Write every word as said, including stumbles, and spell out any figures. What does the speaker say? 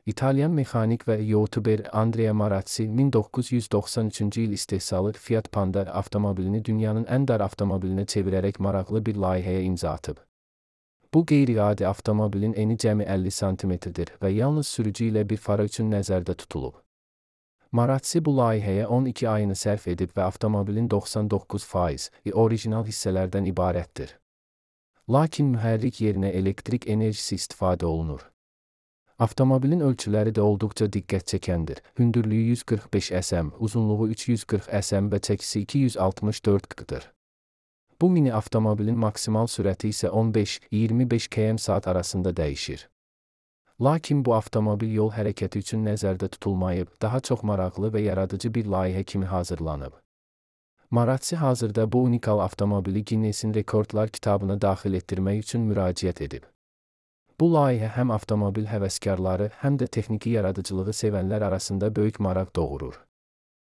İtalyan mexanik və youtuber Andrea Marazzi min doqquz yüz doxsan üçüncü il istehsalı Fiat Panda avtomobilini dünyanın ən dar avtomobilinə çevirərək maraqlı bir layihəyə imza atıb. Bu qeyri-adi avtomobilin eni cəmi əlli santimetrdir və yalnız sürücü ilə bir fara üçün nəzərdə tutulub. Marazzi bu layihəyə on iki ayını sərf edib və avtomobilin doxsan doqquz faiz orijinal hissələrdən ibarətdir. Lakin mühərrik yerinə elektrik enerjisi istifadə olunur. Avtomobilin ölçüləri də olduqca diqqət çəkəndir. Hündürlüyü yüz qırx beş sm, uzunluğu üç yüz qırx sm və çəkisi iki yüz altmış dörd qdır. Bu mini avtomobilin maksimal sürəti isə on beş iyirmi beş kilometr saat arasında dəyişir. Lakin bu avtomobil yol hərəkəti üçün nəzərdə tutulmayıb, daha çox maraqlı və yaradıcı bir layihə kimi hazırlanıb. Marazzi hazırda bu unikal avtomobili Guinnessin Rekordlar kitabına daxil etdirmək üçün müraciət edib. Bu layihə həm avtomobil həvəskarları, həm də texniki yaradıcılığı sevənlər arasında böyük maraq doğurur.